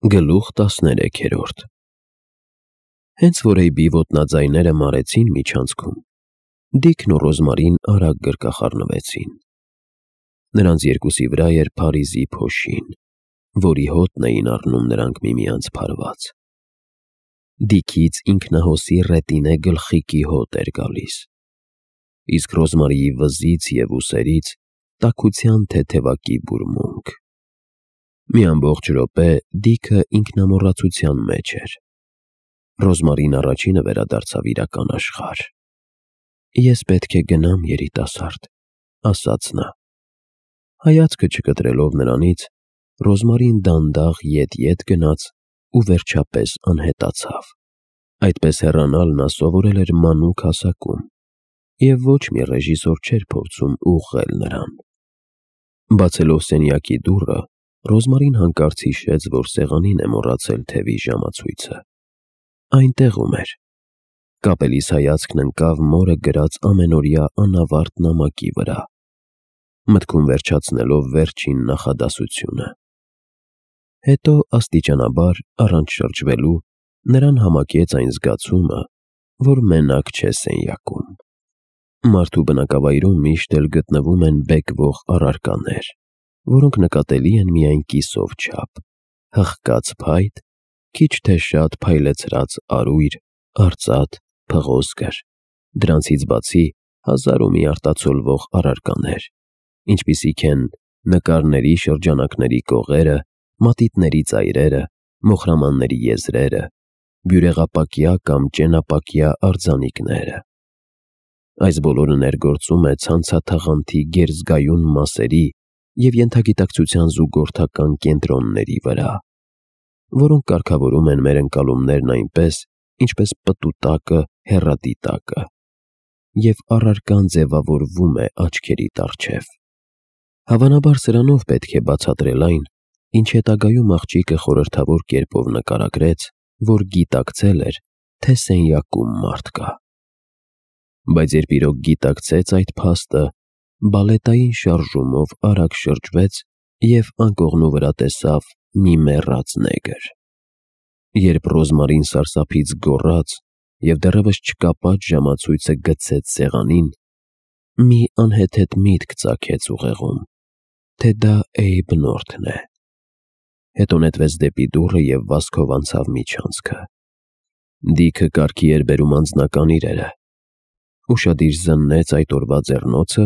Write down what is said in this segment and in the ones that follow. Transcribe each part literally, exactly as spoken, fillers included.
Գլուխ տասներեքերորդ Հենց որ Էյբի ոտնաձայները մարեցին միջանցքում, Դիքն ու Ռոզմարին արագ գրկախառնվեցին։ Նրանց երկուսի վրա էր Փարիզի փոշին, որի հոտն էին առնում նրանք միմյանց փարված։ Դիքից ինքնահոսի ռետինե գլխիկի հոտ էր գալիս, իսկ Ռոզմարիի վզից և ուսերից տաքության թեթևակի բուրմունք։ Մի ամբողջ րոպե Դիքը ինքնամոռացության մեջ էր։ Ռոզմարին առաջինը վերադարձավ իրական աշխարհ։ «Ես պետք է գնամ, երիտասարդ», ասաց նա։ Հայացքը չկտրելով նրանից, Ռոզմարին դանդաղ ետ-ետ գնաց ու վերջապես անհետացավ։ Այդպես հեռանալ նա սովորել էր մանուկ հասակում, և ոչ մի ռեժիսոր չէր փորձում ուղղել նրան։ Բացելով սենյակի դուռը, Ռոզմարին հանկարծ հիշեց, որ սեղանին է մոռացել թևի ժամացույցը։ Այնտեղում էր։ Կապելիս հայացքն ընկավ մորը գրած ամենօրյա անավարտ նամակի վրա, մտքում վերջացնելով վերջին նախադասությունը։ Հետո աստիճանաբար, առանց շրջվելու, նրան համակեց այն զգացումը, որ մենակ չէ սենյակում։ Մարդու բնակավայրում միշտ էլ գտնվում են բեկվող առարկաներ, որոնք նկատելի են միայն կիսով չափ, հղկած փայտ, քիչ թե շատ փայլեցրած արույր, արծաթ, փղոսկր, դրանցից բացի հազար ու մի արտացոլվող առարկաներ, ինչպիսիք են նկարների շրջանակների կողերը, մատիտների ծայրերը, մոխրամանների եզրերը, բյուրեղապակյա կամ ճենապակյա արձանիկները։ Այս բոլորը ներգործում է ցանցաթաղանթի գերզգայուն մասերի և ենթագիտակցության զուգորդական կենտրոնների վրա, որոնք կարգավորում են մեր ընկալումներն այնպես, ինչպես պտուտակը հեռադիտակը, և առարկան ձևավորվում է աչքերիդ առջև։ Հավանաբար սրանով պետք է բացատրել այն, ինչ հետագայում աղջիկը խորհրդավոր կերպով նկարագրեց, որ գիտակցել էր, թե սենյակում մարդ կա։ Բայց երբ իրոք գիտակցեց այդ փաստը, բալետային շարժումով արագ շրջվեց և անկողնու վրա տեսավ մի մեռած նեգր։ Երբ Ռոզմարին սարսափից գոռաց և դեռևս չկապած ժամացույցը գցեց սեղանին, մի անհեթեթ միտք ծագեց ուղեղում, թե դա Էյբ Նորթն է։ Հետո նետվեց դեպի դուռը և վազքով անցավ միջանցքը։ Դիքը կարգի էր բերում անձնական իրերը։ Ուշադիր զննեց այդ օրվա ձեռնոցը,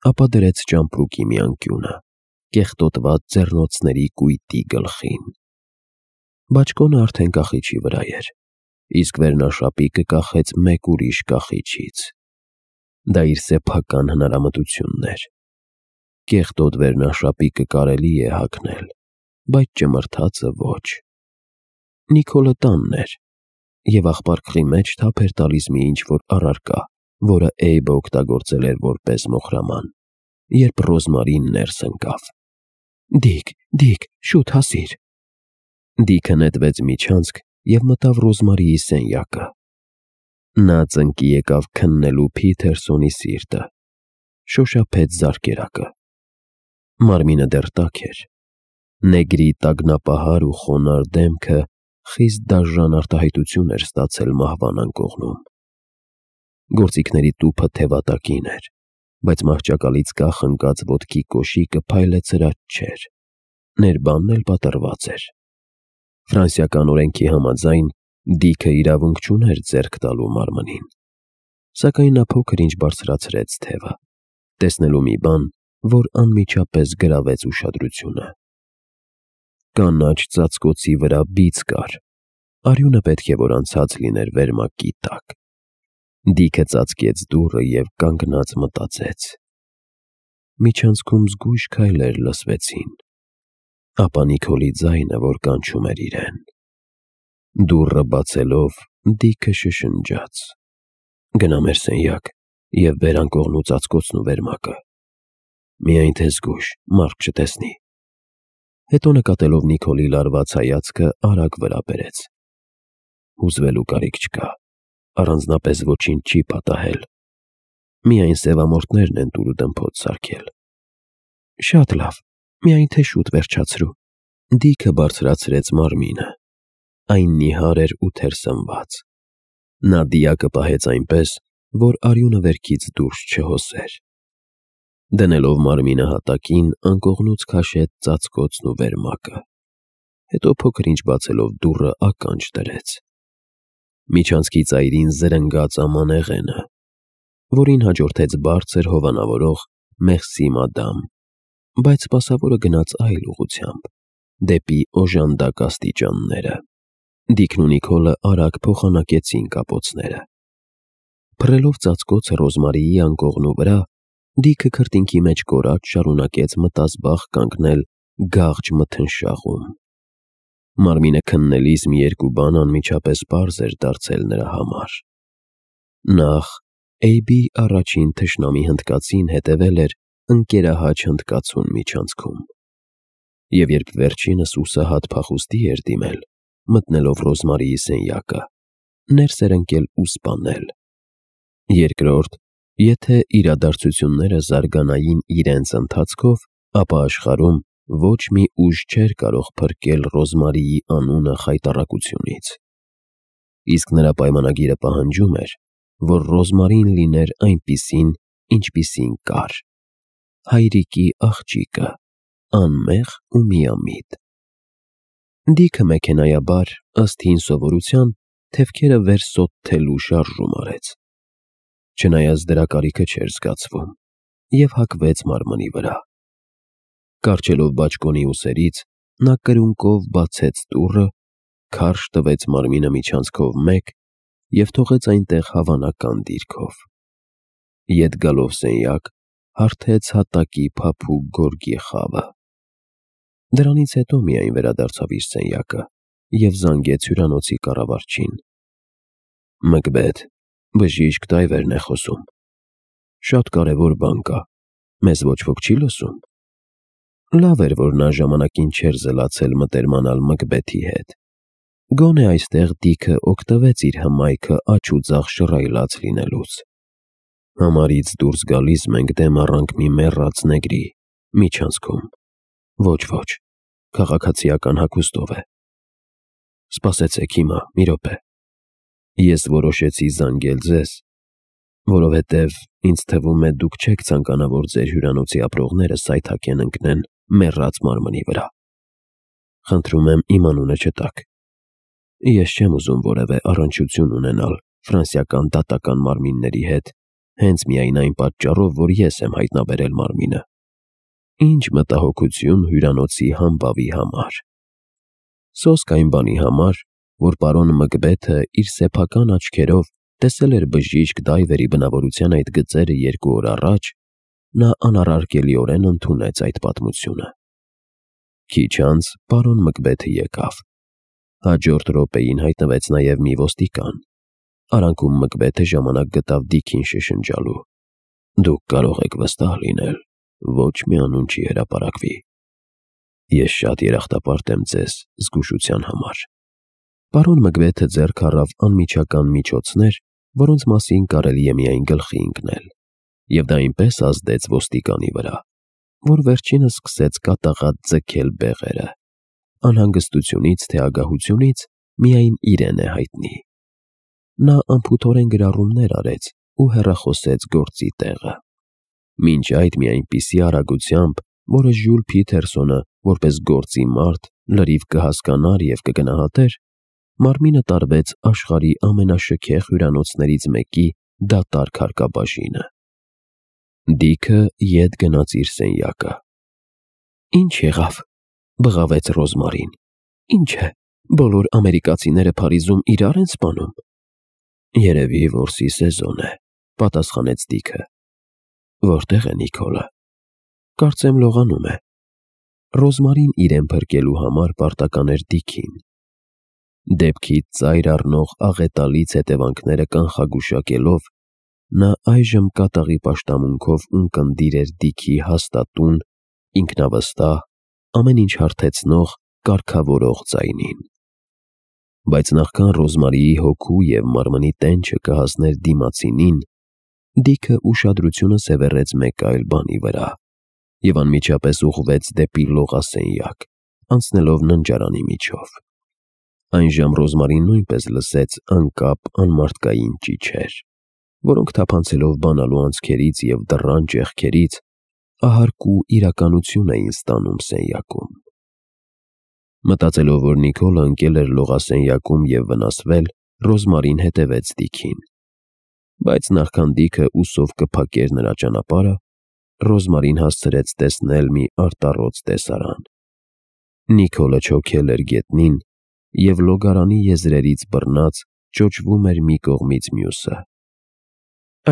ապա դրեց ճամպրուկի մի անկյունը, կեղտոտված ձեռնոցների կույտի գլխին։ Բաճկոնը արդեն կախիչի վրա էր, իսկ վերնաշապիկը կախեց մեկ ուրիշ կախիչից։ Դա իր սեփական հնարամտությունն էր։ Կեղտոտ վերնաշապիկը կարելի է հագնել, բայց ճմրթածը ոչ։ Նիկոլը տանն էր, և աղպարկղի մեջ թափ էր տալիս մի ինչ-որ առարկա, որը Էյբը օգտագործել էր որպես մոխրաման, երբ Ռոզմարին ներս ընկավ։ «Դիք, Դիք, շուտ հասիր»։ Դիքը նետվեց միջանցք և մտավ Ռոզմարիի սենյակը։ Նա ծնկի եկավ քննելու Փիթերսոնի սիրտը, շոշափեց զարկերակը։ Մարմինը դեռ տաք էր։ Նեգրի տագնապահար ու խոնարհ դեմքը խիստ դաժան արտահայտություն էր ստացել մահվան անկողնում։ Գործիքների տուփը թևատակին էր, բայց մահճակալից կախ ընկած ոտքի կոշիկը փայլեցրած չէր, ներբանն էլ պատռված էր։ Ֆրանսիական օրենքի համաձայն Դիքը իրավունք չուներ ձեռք տալու մարմնին, սակայն նա փոքր-ինչ բարձրացրեց թևը, տեսնելու մի բան, որ անմիջապես գրավեց ուշադրությունը։ Կանաչ ծածկոցի վրա բիծ կար, արյունը պետք է որ անցած լիներ վերմակի տակ։ Դիքը ծածկեց դուռը և կանգնած մտածեց։ Միջանցքում զգույշ քայլեր լսվեցին, ապա Նիկոլի ձայնը, որ կանչում էր իրեն։ Դուռը բացելով Դիքը շշնջաց. «Գնա մեր սենյակ և բեր անկողնու ծածկոցն ու վերմակը։ Միայն թե զգույշ, մարդ չտեսնի»։ Հետո նկատելով Նիկոլի լարված հայացքը, արագ վրա բերեց. «Հուզվելու կարիք չկա, առանձնապես ոչինչ չի պատահել։ Միայն սևամորթներն են տուր ու դմփոց սարքել»։ «Շատ լավ, միայն թե շուտ վերջացրու, Դիքը բարձրացրեց մարմինը, այն նիհար էր ու թերսնված, նա դիակը պահեց այնպես, որ արյունը վերքից դուրս չհոսեր, դնելով մարմինը հատակին անկողնուց քաշեց ծածկոցն ու վերմակը, հետո փոքր-ինչ բացելով դուռը ականջ դրեց, միջանցքի ծայրին զրնգաց ամանեղենը, որին հաջորդեց բարձր հովանավորող Մեղսի մադամ, բայց սպասավորը գնաց այլ ուղղությամբ, դեպի օժանդակ աստիճանները, Դիքն ու Նիկոլը արագ փոխանակեցին կապոցները, փռելով ծածկոցը Ռոզմարիի անկողնու վրա, Դիքը քրտինքի մեջ կորած շարունակեց մտազբաղ կանգնել գաղջ մթնշաղում, մարմինը քննելիս մի երկու բան անմիջապես պարզ էր դարձել նրա համար, նախ Էյբի առաջին թշնամի հնդկացին հետևել էր ընկերահաճ հնդկացուն միջանցքում, և երբ վերջինս հուսահատ փախուստի էր դիմել, մտնելով Ռոզմարիի սենյակը, ներս էր ընկել ու սպանել, երկրորդ, եթե իրադարձությունները զարգանային իրենց ընթացքով, ապա աշխարհում ոչ մի ուժ չէր կարող փրկել Ռոզմարիի անունը խայտառակությունից, իսկ նրա պայմանագիրը պահանջում էր, որ Ռոզմարին լիներ այնպիսին, ինչպիսին կար, հայրիկի աղջիկը, անմեղ ու միամիտ, Դիքը մեքենայաբար, ըստ հին սովորության, թևքերը վերսոթթելու շարժում արեց, չնայած դրա կարիքը չէր զգացվում, և հագվեց մարմնի վրա, կառչելով բաճկոնի ուսերից, նա կրունկով բացեց դուռը, քարշ տվեց մարմինը միջանցքով մեկ և թողեց այնտեղ հավանական դիրքով, ետ գալով սենյակ, հարթեց հատակի փափուկ գորգի խավը, դրանից հետո միայն վերադարձավ իր սենյակը և զանգեց հյուրանոցի կառավարչին, Մկբեթ, բժիշկ Դայվերն է խոսում, շատ կարևոր բան կա, մեզ ոչ ոք չի լսում, լավ էր, որ նա ժամանակին չէր զլացել մտերմանալ Մկբեթի հետ, գոնե այստեղ Դիքը օգտվեց իր հմայքը աջ ու ձախ շռայլած լինելուց, համարից դուրս գալիս մենք դեմ առանք մի մեռած նեգրի, միջանցքում, ոչ, ոչ, քաղաքացիական հագուստով է, սպասեցեք հիմա, մի րոպե, ես որոշեցի զանգել ձեզ, որովհետև ինձ թվում է դուք չեք ցանկանա, որ ձեր հյուրանոցի ապրողները սայթաքեն ընկնեն մեռած մարմնի վրա, խնդրում եմ իմ անունը չտաք, ես չեմ ուզում որևէ առնչություն ունենալ ֆրանսիական դատական մարմինների հետ, հենց միայն այն պատճառով, որ ես եմ հայտնաբերել մարմինը, ինչ մտահոգություն հյուրանոցի համբավի համար, սոսկ այն բանի համար, որ պարոն Մկբեթը իր սեփական աչքերով տեսել էր բժիշկ Դայվերի բնավորության այդ գծերը երկու օր առաջ, նա անառարկելիորեն ընդունեց այդ պատմությունը, քիչ անց պարոն Մկբեթը եկավ, հաջորդ րոպեին հայտնվեց նաև մի ոստիկան, արանքում Մկբեթը ժամանակ գտավ Դիքին շշնջալու, դուք կարող եք վստահ լինել, ոչ մի անուն չի հրապարակվի, ես շատ երախտապարտ եմ ձեզ զգուշության համար, պարոն Մկբեթը ձեռք առավ անմիջական միջոցներ, որոնց մասին կարելի է միայն գլխի ընկնել, և դա այնպես ազդեց ոստիկանի վրա, որ վերջինս սկսեց կատաղած ձգել բեղերը, անհանգստությունից թե ագահությունից միայն իրեն է հայտնի, նա անփութորեն գրառումներ արեց ու հեռախոսեց գործի տեղը, մինչ այդ մի այնպիսի արագությամբ, որը Ժյուլ Փիթերսոնը, որպես գործի մարդ, լրիվ կհասկանար և կգնահատեր, մարմինը տարվեց աշխարհի ամենաշքեղ հյուրանոցներից մեկի դատարկ հարկաբաժինը, Դիքը ետ գնաց իր սենյակը, ինչ եղավ, բղավեց Ռոզմարին, ինչ է, բոլոր ամերիկացիները Փարիզում իրար են սպանում, երևի որսի սեզոն է, պատասխանեց Դիքը, որտեղ է Նիկոլը, կարծեմ լողանում է, Ռոզմարին իրեն փրկելու համար պարտական էր Դիքին, դեպքից ծայր առնող աղետալից հետևանքները կանխագուշակելով, նա այժմ կատաղի պաշտամունքով ունկնդիր էր Դիքի հաստատուն, ինքնավստահ, ամեն ինչ հարթեցնող, կարգավորող ձայնին, բայց նախքան Ռոզմարիի հոգու և մարմնի տենչը կհասներ դիմացինին, Դիքը ուշադրությունը սևեռեց մեկ այլ բանի վրա և անմիջապես ուղղվեց դեպի լողասենյակ, անցնելով ննջարանի միջով։ Այն ժամ Ռոզմարին նույնպես լսեց անկապ անմարդկային ճիչեր, որոնք թափանցելով բանալու անցքերից և դռան ճեղքերից ահարկ ու իրականություն էին ստանում սենյակում։ Մտածելով, որ Նիկոլը ընկել էր լողասենյակում և վնասվել, Ռոզմարին հետևեց Դիքին։ Բայց նախքան Դիքը ուսով կփակեր նրա ճանապարհը, Ռոզմարին հասցրեց տեսնել մի արտառոց տեսարան։ Նիկոլը չոքել էր գետնին և լոգարանի եզրերից բռնած ճոճվում էր մի կողմից մյուսը։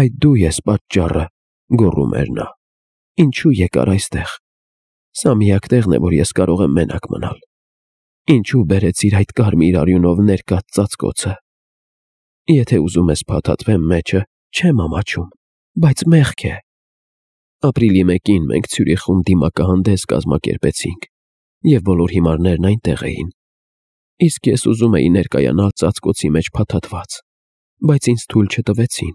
«Այդ դու ես պատճառը», գոռում էր նա։ «Ինչու եկար այստեղ։ Սա միակ տեղն է, որ ես կարող եմ մենակ մնալ։ Ինչու բերեցիր այդ կարմիր արյունով ներկած ծածկոցը։ Եթե ուզում ես փաթաթվեմ մեջը, չեմ ամաչում, բայց մեղք է։ Ապրիլի մեկին մենք Ցյուրիխում դիմակահանդես կազմակերպեցինք, և բոլոր հիմարներն այնտեղ էին, իսկ ես ուզում էի ներկայանալ ծածկոցի մեջ փաթաթված, բայց ինձ թույլ չտվեցին։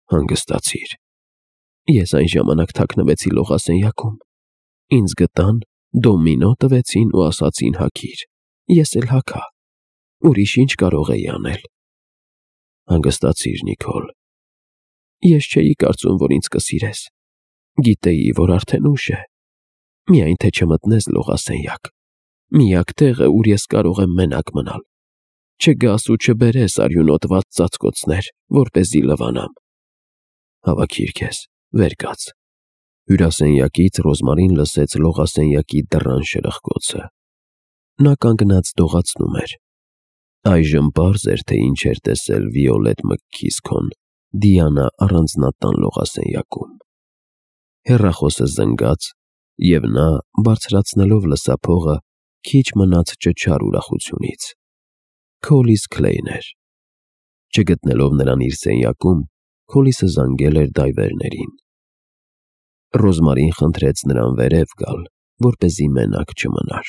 Հանգստացիր։ Ես այն ժամանակ թաքնվեցի լողասենյակում։ Ինձ գտան, դոմինո տվեցին ու ասացին հագիր։ Ես էլ հագա։ Ուրիշ ինչ կարող էի անել։ Հանգստացիր, Նիկոլ։ Ես չէի կարծում, որ ինձ կսիրես։ Գիտեի, որ արդեն ուշ է։ Միայն թե չմտնես լողասենյակ, միակ տեղը, ուր ես կարող եմ մենակ մնալ։ Չգաս ու չբերես արյունոտված ծածկոցներ, որպեսզի լվանամ։ Հավաքիր քեզ, վեր կաց։ Հյուրասենյակից Ռոզմարին լսեց լողասենյակի դռան շրխկոցը։ Նա կանգնած դողացնում էր։ Այժմ պարզ էր, թե ինչ էր տեսել Վիոլետ Մքքիսքոն Դիանա առանձնատան լողասենյակում։ Հեռախոսը զնգաց, և նա, բարձրացնելով լսափողը, քիչ մնաց ճչար ուրախությունից։ Քոլիս Քլեյն էր։ Չգտնելով նրան իր սենյակում, Քոլիսը զանգել էր դայվերներին։ Ռոզմարին խնդրեց նրան վերև գալ, որպեսզի մենակ չմնար։